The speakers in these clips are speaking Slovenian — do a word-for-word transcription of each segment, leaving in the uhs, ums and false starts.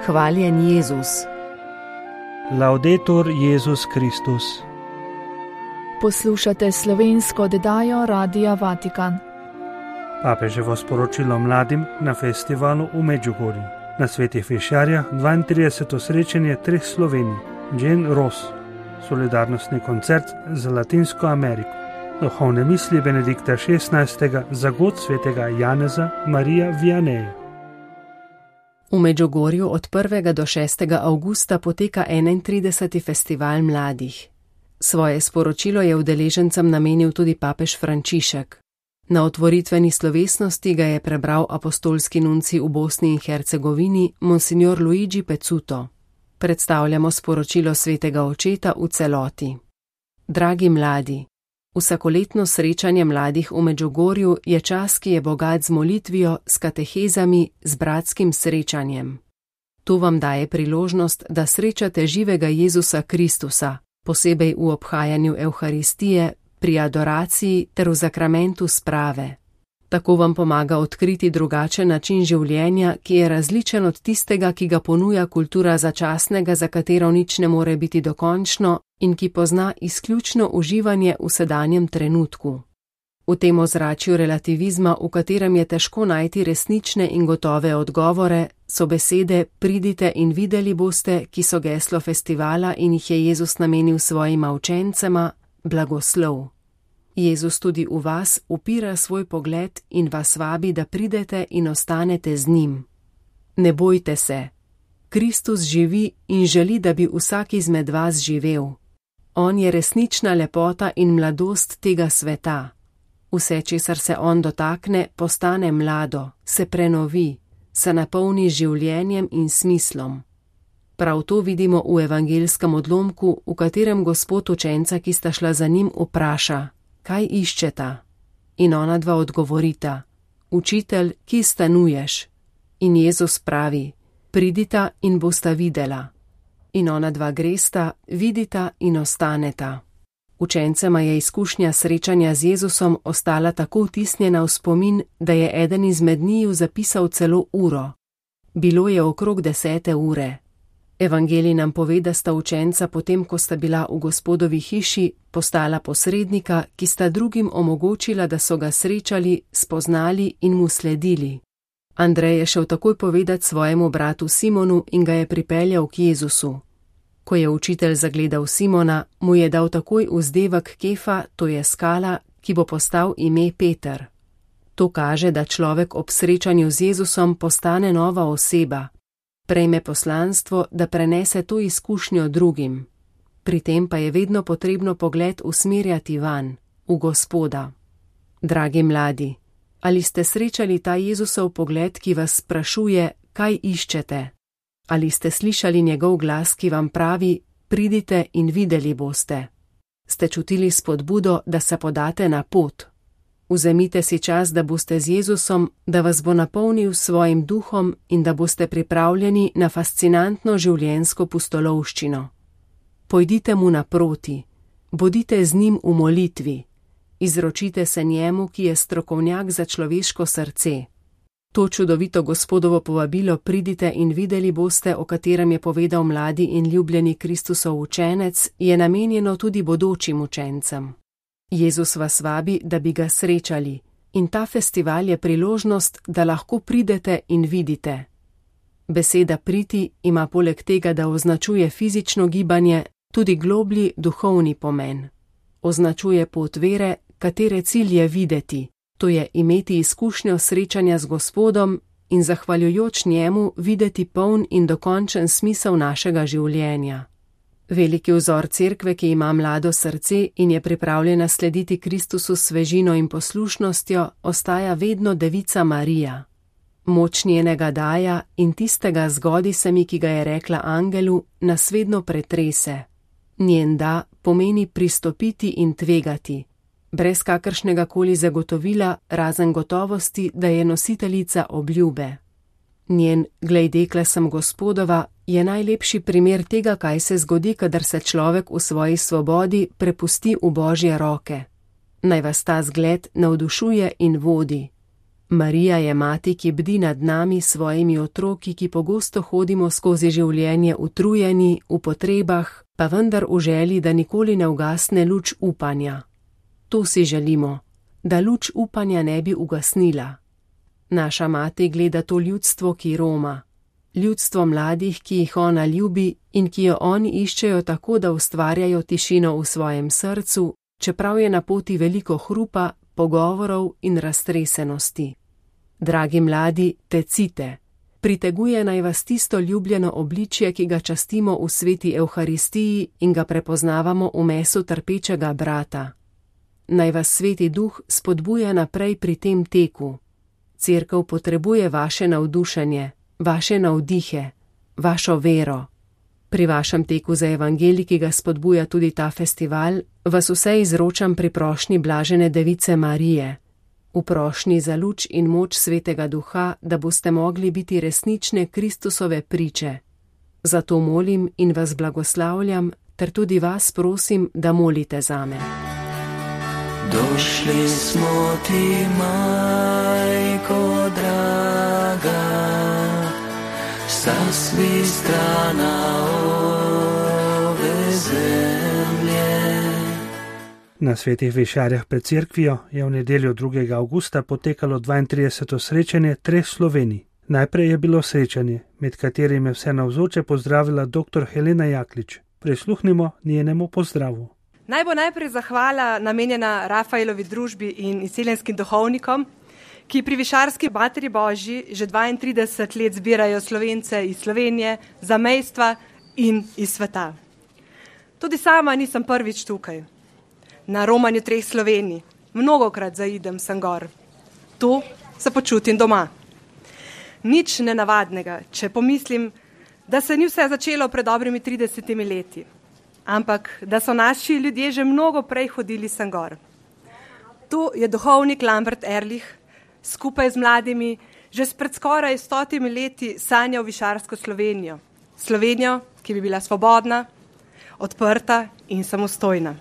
Hvaljen Jezus. Laudetur Jezus Kristus. Poslušate slovensko oddajo Radia Vatikan. Papeževo sporočilo mladim na festivalu v Medjugorju. Na Svetih Fišarjah dvaintrideseto srečanje treh Slovenij, Jane Ross, solidarnostni koncert za Latinsko Ameriko, duhovne misli Benedikta šestnajstega za god svetega Janeza Marija Vianeja. V Medjugorju od prvega do šestega avgusta poteka enaintrideseti festival mladih. Svoje sporočilo je udeležencem namenil tudi papež Frančišek. Na otvoritveni slovesnosti ga je prebral apostolski nuncij v Bosni in Hercegovini, monsignor Luigi Pezzuto. Predstavljamo sporočilo svetega očeta v celoti. Dragi mladi, vsakoletno srečanje mladih v Medjugorju je čas, ki je bogat z molitvijo, s katehezami, z bratskim srečanjem. To vam daje priložnost, da srečate živega Jezusa Kristusa, posebej v obhajanju Evharistije, pri adoraciji ter v zakramentu sprave. Tako vam pomaga odkriti drugačen način življenja, ki je različen od tistega, ki ga ponuja kultura začasnega, za katero nič ne more biti dokončno in ki pozna izključno uživanje v sedanjem trenutku. V tem ozračju relativizma, v katerem je težko najti resnične in gotove odgovore, so besede pridite in videli boste, ki so geslo festivala in jih je Jezus namenil svojima učencema, blagoslov. Jezus tudi v vas upira svoj pogled in vas vabi, da pridete in ostanete z njim. Ne bojte se. Kristus živi in želi, da bi vsak izmed vas živel. On je resnična lepota in mladost tega sveta. Vse, česar se on dotakne, postane mlado, se prenovi, se napolni življenjem in smislom. Prav to vidimo v evangelskem odlomku, v katerem Gospod učenca, ki sta šla za njim, vpraša: kaj iščeta? In ona dva odgovorita: učitelj, ki stanuješ? In Jezus pravi: pridita in bosta videla. In ona dva gresta, vidita in ostaneta. Učencema je izkušnja srečanja z Jezusom ostala tako vtisnjena v spomin, da je eden izmed njiju zapisal celo uro. Bilo je okrog desete ure. Evangelij nam pove, da sta učenca potem, ko sta bila v Gospodovi hiši, postala posrednika, ki sta drugim omogočila, da so ga srečali, spoznali in mu sledili. Andrej je šel takoj povedati svojemu bratu Simonu in ga je pripeljal k Jezusu. Ko je učitelj zagledal Simona, mu je dal takoj vzdevek Kefa, to je skala, ki bo postal ime Peter. To kaže, da človek ob srečanju z Jezusom postane nova oseba. Prejme poslanstvo, da prenese to izkušnjo drugim. Pri tem pa je vedno potrebno pogled usmerjati van, v Gospoda. Dragi mladi, ali ste srečali ta Jezusov pogled, ki vas sprašuje, kaj iščete? Ali ste slišali njegov glas, ki vam pravi: pridite in videli boste? Ste čutili spodbudo, da se podate na pot? Vzemite si čas, da boste z Jezusom, da vas bo napolnil svojim duhom in da boste pripravljeni na fascinantno življenjsko pustolovščino. Pojdite mu naproti, bodite z njim v molitvi, izročite se njemu, ki je strokovnjak za človeško srce. To čudovito Gospodovo povabilo pridite in videli boste, o katerem je povedal mladi in ljubljeni Kristusov učenec, je namenjeno tudi bodočim učencem. Jezus vas vabi, da bi ga srečali, in ta festival je priložnost, da lahko pridete in vidite. Beseda priti ima poleg tega, da označuje fizično gibanje, tudi globlji duhovni pomen. Označuje pot vere, katere cilj je videti, to je imeti izkušnjo srečanja z Gospodom in zahvaljujoč njemu videti poln in dokončen smisel našega življenja. Veliki vzor cerkve, ki ima mlado srce in je pripravljena slediti Kristusu s svežino in poslušnostjo, ostaja vedno Devica Marija. Moč njenega daja in tistega zgodi se mi, ki ga je rekla angelu, nas vedno pretrese. Njen da pomeni pristopiti in tvegati, brez kakršnega koli zagotovila, razen gotovosti, da je nositeljica obljube. Njen glej, dekle sem Gospodova je najlepši primer tega, kaj se zgodi, kadar se človek v svoji svobodi prepusti v Božje roke. Naj vas ta zgled navdušuje in vodi. Marija je mati, ki bdi nad nami svojimi otroki, ki pogosto hodimo skozi življenje utrujeni, v potrebah, pa vendar v želji, da nikoli ne ugasne luč upanja. To si želimo, da luč upanja ne bi ugasnila. Naša mati gleda to ljudstvo, ki roma, ljudstvo mladih, ki jih ona ljubi in ki jo oni iščejo tako, da ustvarjajo tišino v svojem srcu, čeprav je na poti veliko hrupa, pogovorov in raztresenosti. Dragi mladi, tecite, priteguje naj vas tisto ljubljeno obličje, ki ga častimo v sveti Evharistiji in ga prepoznavamo v mesu trpečega brata. Naj vas sveti duh spodbuja naprej pri tem teku. Cerkev potrebuje vaše navdušenje, vaše navdihe, vašo vero. Pri vašem teku za evangelij, ki ga spodbuja tudi ta festival, vas vse izročam pri prošnji blažene device Marije, v prošnji za luč in moč svetega duha, da boste mogli biti resnične Kristusove priče. Zato molim in vas blagoslavljam, ter tudi vas prosim, da molite zame. Došli smo ti, majko draga, sa svih strana ove zemlje. Na svetih višarjah pred cerkvijo je v nedeljo drugega avgusta potekalo dvaintrideseto srečanje treh Slovenij. Najprej je bilo srečanje, med katerim je vse navzoče pozdravila dr. Helena Jaklič. Prisluhnimo njenemu pozdravu. Naj bo najprej zahvala namenjena Rafaelovi družbi in izseljenskim duhovnikom, ki pri Višarski Materi Božji že dvaintrideset let zbirajo Slovence iz Slovenije, zamejstva in iz sveta. Tudi sama nisem prvič tukaj. Na romanju treh Slovenij mnogokrat zaidem sem gor. Tu se počutim doma. Nič nenavadnega, če pomislim, da se ni vse začelo pred dobrimi tridesetimi leti, ampak da so naši ljudje že mnogo prej hodili sem gor. Tu je duhovnik Lambert Erlich skupaj z mladimi že spred skoraj stotimi leti sanjal Višarsko Slovenijo. Slovenijo, ki bi bila svobodna, odprta in samostojna.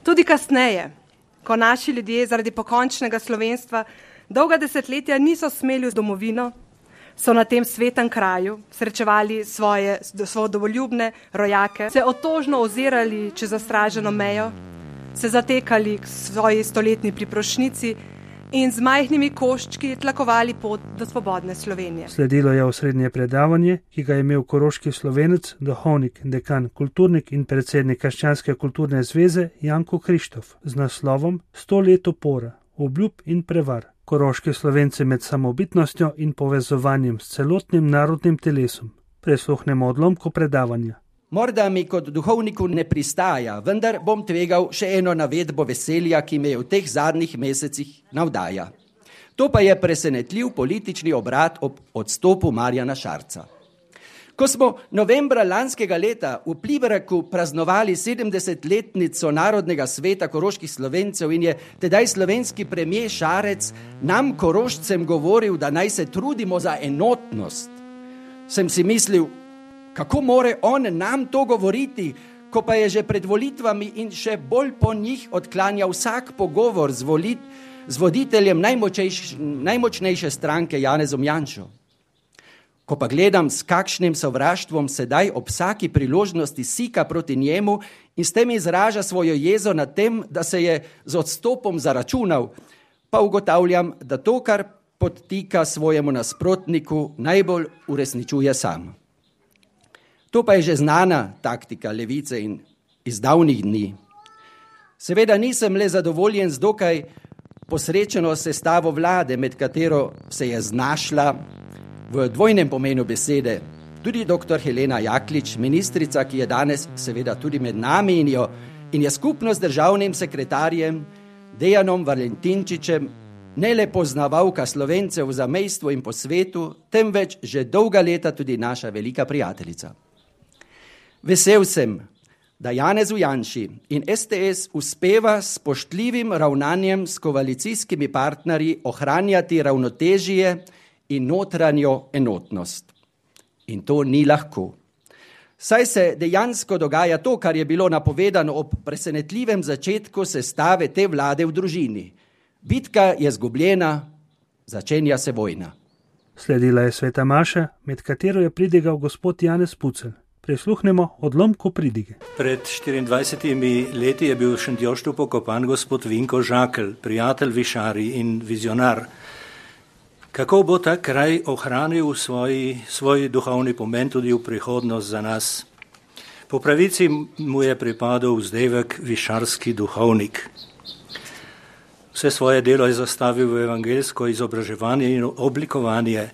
Tudi kasneje, ko naši ljudje zaradi pokončnega slovenstva dolga desetletja niso smeli v domovino, so na tem svetem kraju srečevali svoje svobodoljubne rojake, se otožno ozirali čez zastraženo mejo, se zatekali k svoji stoletni priprošnjici in z majhnimi koščki tlakovali pot do svobodne Slovenije. Sledilo je osrednje predavanje, ki ga je imel koroški Slovenec, duhovnik, dekan, kulturnik in predsednik Krščanske kulturne zveze Janko Krištof z naslovom Sto let upora, obljub in prevar. Koroški Slovenci med samobitnostjo in povezovanjem s celotnim narodnim telesom. Prisluhnemo odlomku predavanja. Morda mi kot duhovniku ne pristaja, vendar bom tvegal še eno navedbo veselja, ki me v teh zadnjih mesecih navdaja. To pa je presenetljiv politični obrat ob odstopu Marjana Šarca. Ko smo novembra lanskega leta v Plibereku praznovali sedemdesetletnico Narodnega sveta koroških Slovencev in je tedaj slovenski premier Šarec nam Korošcem govoril, da naj se trudimo za enotnost, sem si mislil, kako more on nam to govoriti, ko pa je že pred volitvami in še bolj po njih odklanjal vsak pogovor z, volit, z voditeljem najmočnejše stranke Janezom Janšo. Ko pa gledam, s kakšnim sovraštvom sedaj ob vsaki priložnosti sika proti njemu in s tem izraža svojo jezo nad tem, da se je z odstopom zaračunal, pa ugotavljam, da to, kar podtika svojemu nasprotniku, najbolj uresničuje sam. To pa je že znana taktika levice in iz davnih dni. Seveda nisem le zadovoljen z dokaj posrečeno sestavo vlade, med katero se je znašla v dvojnem pomenu besede tudi doktor Helena Jaklič, ministrica, ki je danes seveda tudi med nami in, jo, in je skupno z državnim sekretarjem Dejanom Valentinčičem ne le poznavalka Slovencev v zamejstvu in po svetu, temveč že dolga leta tudi naša velika prijateljica. Vesel sem, da Janezu Janši in S T S uspeva s spoštljivim ravnanjem s koalicijskimi partnerji ohranjati ravnotežje in notranjo enotnost. In to ni lahko. Saj se dejansko dogaja to, kar je bilo napovedano ob presenetljivem začetku sestave te vlade v družini. Bitka je zgubljena, začenja se vojna. Sledila je sveta maša, med katero je pridigal gospod Janez Pucelj. Prisluhnemo odlomku pridige. Pred štiriindvajsetimi leti je bil v Šentjoštu pokopan gospod Vinko Žakelj, prijatelj višari in vizionar. Kako bo ta kraj ohranil svoj, svoj duhovni pomen tudi v prihodnost za nas? Po pravici mu je pripadal vzdevek višarski duhovnik. Vse svoje delo je zastavil v evangeljsko izobraževanje in oblikovanje,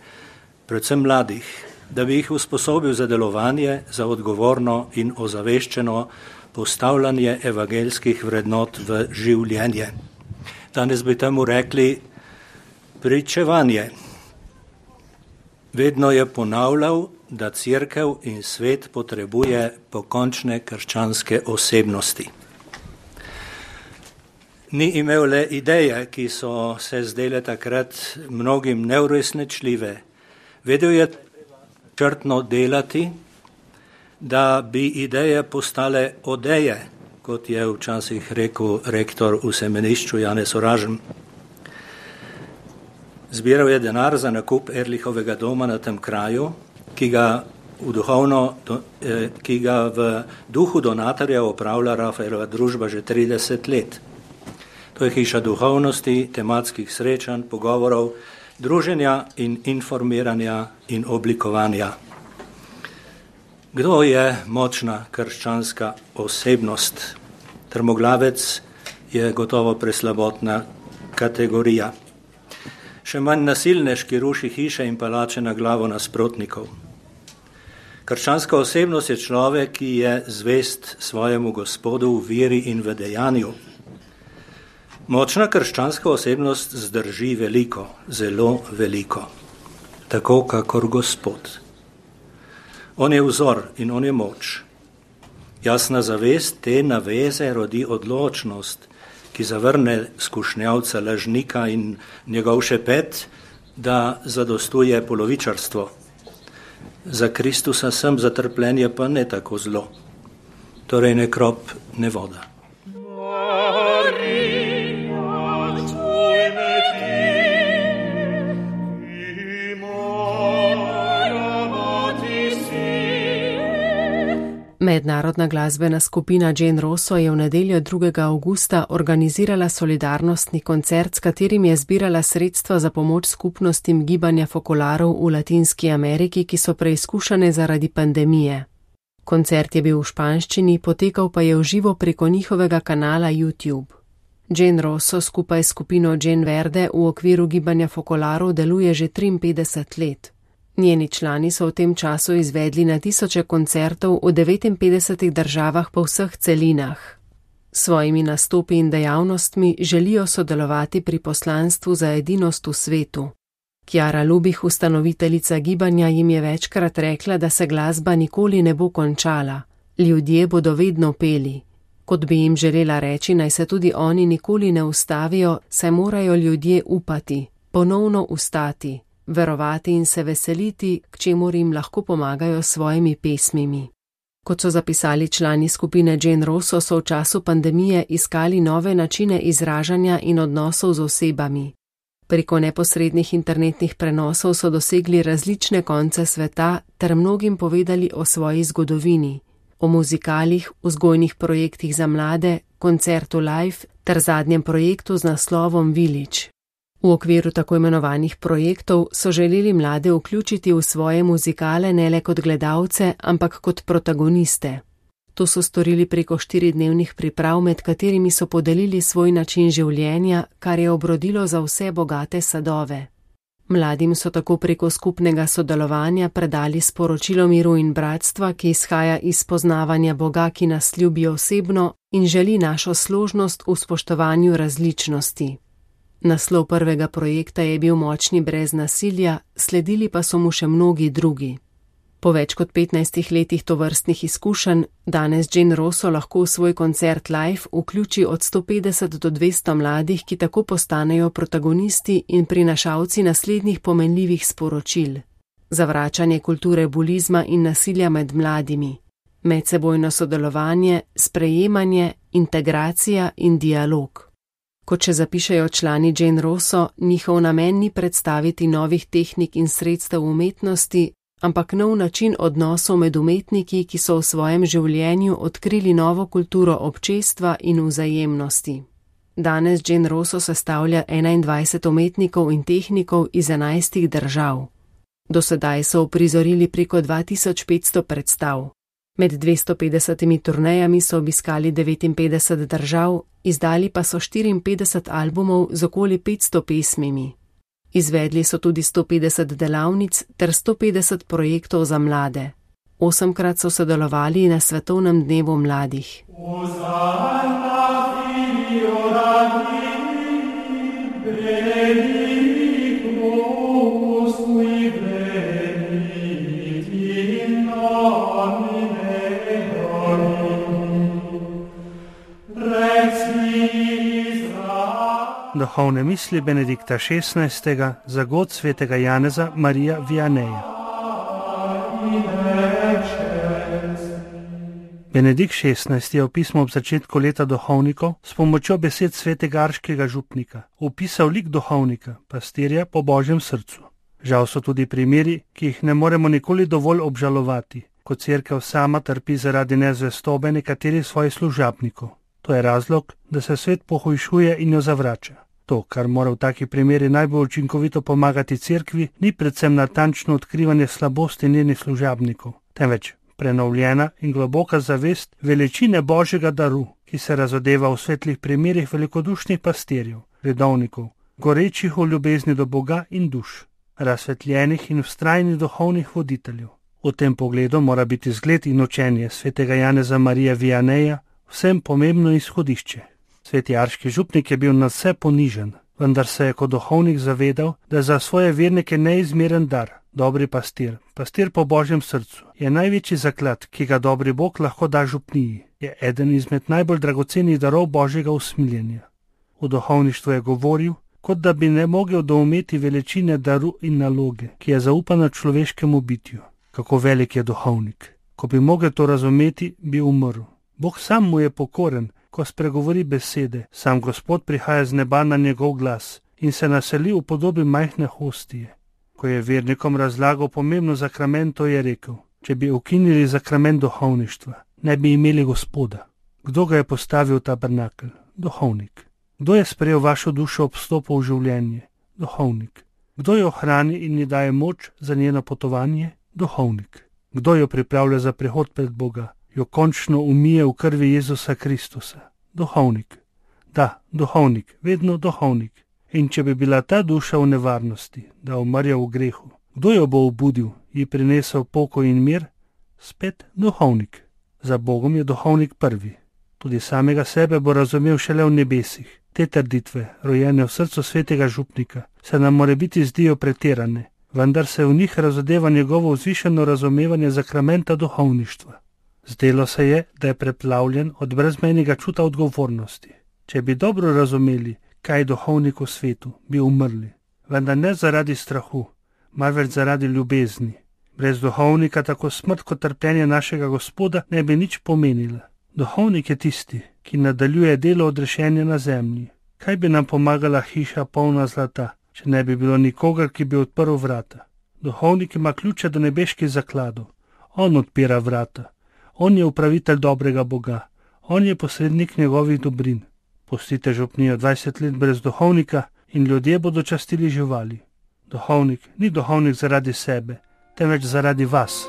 predvsem mladih, da bi jih usposobil za delovanje, za odgovorno in ozaveščeno postavljanje evangeljskih vrednot v življenje. Danes bi temu rekli pričevanje. Vedno je ponavljal, da cerkev in svet potrebuje pokončne krščanske osebnosti. Ni imel le ideje, ki so se zdele takrat mnogim neuresničljive. Vedel je črtno delati, da bi ideje postale odeje, kot je včasih rekel rektor v semenišču Janez Oražem. Zbiral je denar za nakup Erlichovega doma na tem kraju, ki ga v, duhovno, ki ga v duhu donatorja upravlja Rafaelova družba že trideset let. To je hiša duhovnosti, tematskih srečanj, pogovorov, druženja in informiranja in oblikovanja. Kdo je močna krščanska osebnost? Trmoglavec je gotovo preslabotna kategorija. Še manj nasilnež, ki ruši hiše in palače na glavo nasprotnikov. Krščanska osebnost je človek, ki je zvest svojemu Gospodu v veri in v dejanju. Močna krščanska osebnost zdrži veliko, zelo veliko, tako kakor Gospod. On je vzor in on je moč. Jasna zavest te naveze rodi odločnost, ki zavrne skušnjavca, lažnika in njegov šepet, da zadostuje polovičarstvo. Za Kristusa sem, za trpljenje pa ne tako zlo. Torej ne krop, ne voda. Mednarodna glasbena skupina Jane Rosso je v nedeljo drugega avgusta organizirala solidarnostni koncert, s katerim je zbirala sredstva za pomoč skupnostim gibanja fokolarov v Latinski Ameriki, ki so preizkušane zaradi pandemije. Koncert je bil v španščini, potekal pa je v živo preko njihovega kanala YouTube. Jane Rosso skupaj s skupino Jane Verde v okviru gibanja fokolarov deluje že triinpetdeset let. Njeni člani so v tem času izvedli na tisoče koncertov v devetinpetdesetih državah po vseh celinah. S svojimi nastopi in dejavnostmi želijo sodelovati pri poslanstvu za edinost v svetu. Chiara Lubich, ustanoviteljica gibanja, jim je večkrat rekla, da se glasba nikoli ne bo končala. Ljudje bodo vedno peli. Kot bi jim želela reči, naj se tudi oni nikoli ne ustavijo, saj morajo ljudje upati, ponovno ustati, verovati in se veseliti, k čemur jim lahko pomagajo s svojimi pesmimi. Kot so zapisali člani skupine Jane Rosso, so v času pandemije iskali nove načine izražanja in odnosov z osebami. Preko neposrednih internetnih prenosov so dosegli različne konce sveta ter mnogim povedali o svoji zgodovini, o muzikalih, vzgojnih projektih za mlade, koncertu Live ter zadnjem projektu z naslovom Village. V okviru tako imenovanih projektov so želeli mlade vključiti v svoje muzikale ne le kot gledalce, ampak kot protagoniste. To so storili preko štiridnevnih priprav, med katerimi so podelili svoj način življenja, kar je obrodilo za vse bogate sadove. Mladim so tako preko skupnega sodelovanja predali sporočilo miru in bratstva, ki izhaja iz poznavanja Boga, ki nas ljubi osebno in želi našo složnost v spoštovanju različnosti. Naslov prvega projekta je bil Močni brez nasilja, sledili pa so mu še mnogi drugi. Po več kot petnajstih letih tovrstnih izkušenj, danes Jane Rosso lahko v svoj koncert Live vključi od sto petdeset do dvesto mladih, ki tako postanejo protagonisti in prinašalci naslednjih pomenljivih sporočil. Zavračanje kulture bulizma in nasilja med mladimi, medsebojno sodelovanje, sprejemanje, integracija in dialog. Kot še zapišejo člani Jane Rosso, njihov namen ni predstaviti novih tehnik in sredstev umetnosti, ampak nov način odnosov med umetniki, ki so v svojem življenju odkrili novo kulturo občestva in vzajemnosti. Danes Jane Rosso sestavlja enaindvajset umetnikov in tehnikov iz enajstih držav. Do sedaj so uprizorili preko dva tisoč petsto predstav. Med dvesto petdesetimi turnejami so obiskali devetinpetdeset držav, izdali pa so štiriinpetdeset albumov z okoli petsto pesmimi. Izvedli so tudi sto petdeset delavnic ter sto petdeset projektov za mlade. Osemkrat so sodelovali na Svetovnem dnevu mladih. Duhovne misli Benedikta šestnajstega za god svetega Janeza Marija Vianeja. Benedikt šestnajsti je v pismu ob začetku leta duhovnikov s pomočjo besed svetega arškega župnika opisal lik duhovnika, pastirja po Božjem srcu. Žal so tudi primeri, ki jih ne moremo nikoli dovolj obžalovati, ko cerkev sama trpi zaradi nezvestobe nekaterih svojih služabnikov. To je razlog, da se svet pohujšuje in jo zavrača. To, kar mora v takih primeri najbolj učinkovito pomagati cerkvi, ni predvsem natančno odkrivanje slabosti njenih služabnikov, temveč prenovljena in globoka zavest veličine Božjega daru, ki se razodeva v svetlih primerih velikodušnih pastirjev, redovnikov, gorečih v ljubezni do Boga in duš, razsvetljenih in vztrajnih duhovnih voditeljev. V tem pogledu mora biti zgled in učenje svetega Janeza Marija Vianeja vsem pomembno izhodišče. Sveti arški župnik je bil nadvse ponižen, vendar se je kot duhovnik zavedal, da je za svoje vernike neizmeren dar. Dobri pastir, pastir po Božjem srcu, je največji zaklad, ki ga dobri Bog lahko da župniji. Je eden izmed najbolj dragocenih darov Božjega usmiljenja. V duhovništvu je govoril, kot da bi ne mogel doumeti veličine daru in naloge, ki je zaupana človeškemu bitju. Kako velik je duhovnik. Ko bi mogel to razumeti, bi umrl. Bog sam mu je pokoren, ko spregovori besede, sam Gospod prihaja z neba na njegov glas in se naseli v podobi majhne hostije. Ko je vernikom razlagal pomembno zakramento, je rekel, če bi ukinili zakrament duhovništva, ne bi imeli Gospoda. Kdo ga je postavil v tabernakelj? Duhovnik. Kdo je sprejel vašo dušo ob vstopu v življenje? Duhovnik. Kdo jo hrani in ji daje moč za njeno potovanje? Duhovnik. Kdo jo pripravlja za prihod pred Boga? Jo končno umije v krvi Jezusa Kristusa. Duhovnik. Da, duhovnik, vedno duhovnik. In če bi bila ta duša v nevarnosti, da umrja v grehu, kdo jo bo obudil, ji prinesel pokoj in mir? Spet duhovnik. Za Bogom je duhovnik prvi. Tudi samega sebe bo razumel šele v nebesih. Te trditve, rojene v srcu svetega župnika, se nam morebiti zdijo pretirane, vendar se v njih razodeva njegovo vzvišeno razumevanje zakramenta duhovništva. Zdelo se je, da je preplavljen od brezmejnega čuta odgovornosti. Če bi dobro razumeli, kaj je duhovnik v svetu, bi umrli. Vendar ne zaradi strahu, marveč zaradi ljubezni. Brez duhovnika tako smrt kot trpljenje našega Gospoda ne bi nič pomenila. Duhovnik je tisti, ki nadaljuje delo odrešenja na zemlji. Kaj bi nam pomagala hiša polna zlata, če ne bi bilo nikogar, ki bi odprl vrata? Duhovnik ima ključe do nebeških zakladov. On odpira vrata. On je upravitelj dobrega Boga. On je posrednik njegovih dobrin. Pustite župnijo dvajset let brez duhovnika in ljudje bodo častili živali. Duhovnik ni duhovnik zaradi sebe, temveč zaradi vas.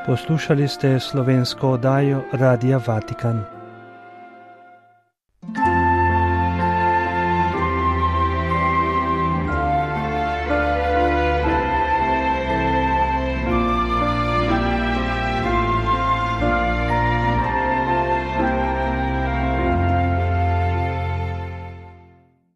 Poslušali ste slovensko oddajo Radia Vatikan.